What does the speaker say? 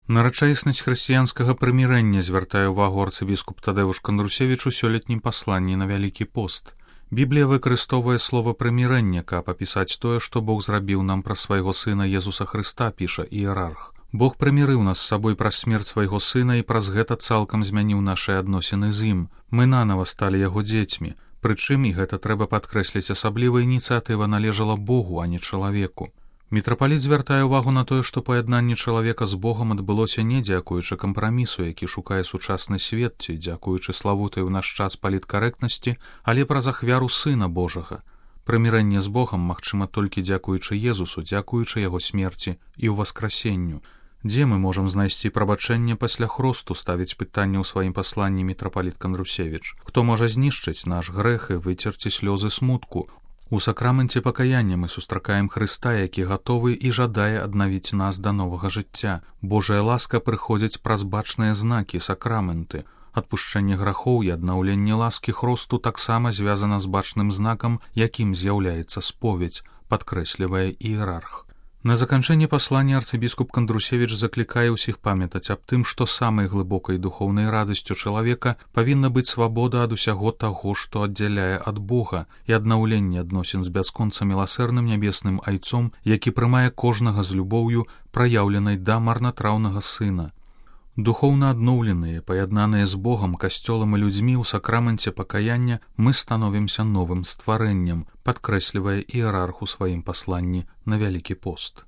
На рэчаіснасць хрысціянскага прымірэння звяртае ўвагу арцыбіскуп Тадэвуш Кандрусевіч у сёлетнім пасланні на Вялікі пост. Біблія выкарыстоўвае слова прымірэння, каб апісаць тое, што Бог зрабіў нам праз свайго сына Езуса Хрыста, піша іерарх. Бог прымірыў нас з сабой праз смерць свайго сына і праз гэта цалкам змяніў нашыя адносіны з ім. Мы нанава сталі яго дзецьмі. Прычым, і гэта трэба падкрэсліць, асабліва ініцыятыва належала Богу, а не чалавеку. Мітрапаліт звяртае ўвагу на тое, што паяднанне чалавека з Богам адбылося не дзякуючы кампрамісу, які шукае сучасны свет, ці дзякуючы славутай у наш час паліткарэктнасці, але праз ахвяру Сына Божага. Прымірэнне з Богам магчыма толькі дзякуючы Езусу, дзякуючы яго смерці і ўваскрасенню. Дзе мы можам знайсці прабачэнне пасля хросту, ставіць пытанне ў сваім пасланні мітрапаліт Кандрусевіч. Хто можа знішчыць наш грэх і выцерці слёзы смутку? У сакраменце пакаяння мы сустракаем Хрыста, які гатовы і жадае аднавіць нас да новага жыцця. Божая ласка прыходзіць праз бачныя знакі, сакраменты. Адпушчэнне грахоў і аднаўленне ласкі хросту таксама звязана з бачным знакам, якім з'яўляецца споведь, падкрэслівае іерарх. На заканчэнне паслання арцыбіскуп Кандрусевіч заклікае ўсіх памятаць аб тым, што самай глыбокай духоўнай радасцю чалавека павінна быць свабода ад усяго таго, што аддзяляе ад Бога, і аднаўленне адносін з бясконца міласэрным нябесным айцом, які прымае кожнага з любоўю, праяўленай да марнатраўнага сына. Духоўна адноўленыя, паяднаныя з Богам, касцёлам і людзьмі ў сакраменце пакаяння мы становімся новым стварэннем, падкрэслівае іерарх у сваім пасланні на Вялікі пост.